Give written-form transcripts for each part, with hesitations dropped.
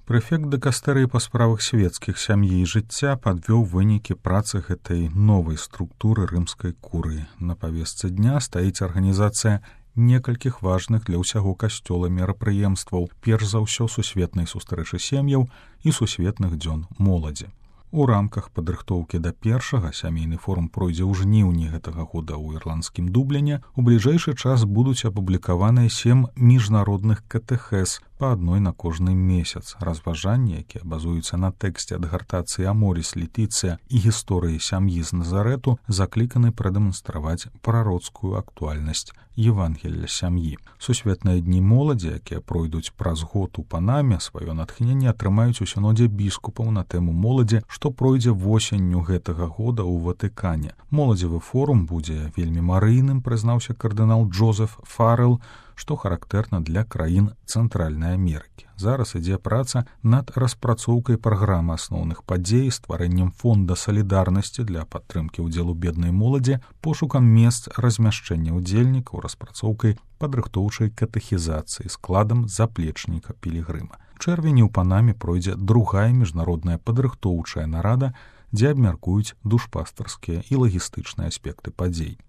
Прэфект дыкастэрыі па справах свецкіх сям'і і жыцця падвёў вынікі працы гэтай новай структуры рымскай курыі. На павестцы дня стаіць арганізацыя некалькіх важных для ўсяго касцёла мерапрыемстваў, перш за ўсё сусветнай сустрэчы сем'яў і сусветных дзён моладзі. У рамках падрыхтоўкі да першага сямейны форум пройдзе ў жніўні гэтага года ў ірландскім Дубліне. У бліжэйшы час будуць апублікаваныя 7 міжнародных катэхез, па адной на кожны месяц. Разважанні, якія базуюцца на тэксце адгартацыі Аморіс Летыцыя і гісторыі сям'і з Назарету, закліканы прадэманстраваць прароцкую актуальнасць Евангелля сям'і. Сусветныя дні моладзі, якія пройдуць праз год у Панаме, сваё натхненне атрымаюць у сінодзе біскупаў на тэму моладзі, што пройдзе восенню гэтага года ў Ватыкане. Моладзевы форум будзе вельмі марыйным, прызнаўся кардынал Джозеф Фаррелл, што характэрна для краін Цэнтральнай Амерыкі. Зараз ідзе праца над распрацоўкай праграмы асноўных падзей, стварэннем фонда салідарнасці для падтрымкі ўдзелу беднай моладзі, пошукам месц размяшчэння ўдзельнікаў, распрацоўкай падрыхтоўчай катэхізацыі, складам заплечніка пілігрыма. У чэрвені ў Панаме пройдзе другая міжнародная падрыхтоўчая нарада, дзе абмяркуюць душпастарскія і лагістычныя аспекты падзей.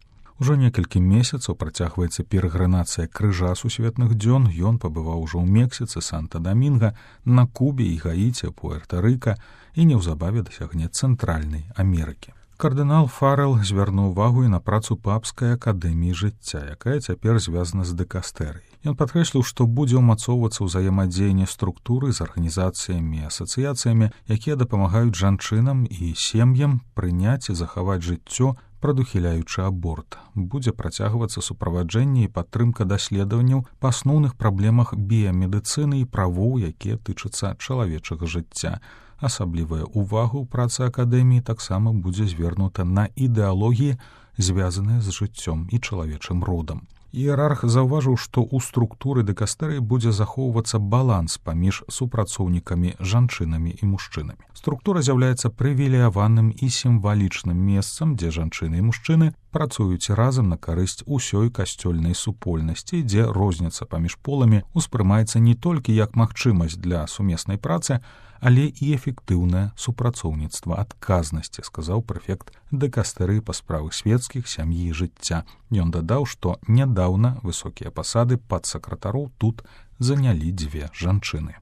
Ужо некалькі месяцаў працягваецца перагранацыя крыжа сусветных дзён. Ён пабываў ужо ў Мексіцы, Санта-Дамінга, на Кубе і Гаіці, Пуэрта-Рыка і неўзабаве дасягне Цэнтральнай Амерыкі. Кардынал Фаррелл звярнуў увагу і на працу папскай акадэміі жыцця, якая цяпер звязана з дыкастэрыяй. Ён падкрэсліў, што будзе ўмацоўвацца ўзаемадзеянне структуры з арганізацыямі і асацыяцыямі, якія дапамагаюць жанчынам і сем'ям прыняць і захаваць жыццё, прадухіляючы аборт. Будзе працягвацца суправаджэнне і падтрымка даследаванняў па асноўных праблемах біямедыцыны і правоў, якія тычацца чалавечага жыцця. Асаблівая ўвага ў працы акадэміі таксама будзе звернута на ідэалогіі, звязаныя з жыццём і чалавечым родам. Іерарх заўважыў, што ў структуры дыкастэрыі будзе захоўвацца баланс паміж супрацоўнікамі, жанчынамі і мужчынамі. Структура з'яўляецца прывілеяваным і сімвалічным месцам, дзе жанчыны і мужчыны працуюць разам на карысць усёй касцёльнай супольнасці, дзе розніца паміж поламі ўспрымаецца не толькі як магчымасць для сумеснай працы, але і эфектыўнае супрацоўніцтва адказнасці, сказаў прэфект дыкастэрыі па справах свецкіх сям'і і жыцця. Ён дадаў, што нядаўна высокія пасады падсакратароў тут занялі 2 жанчыны.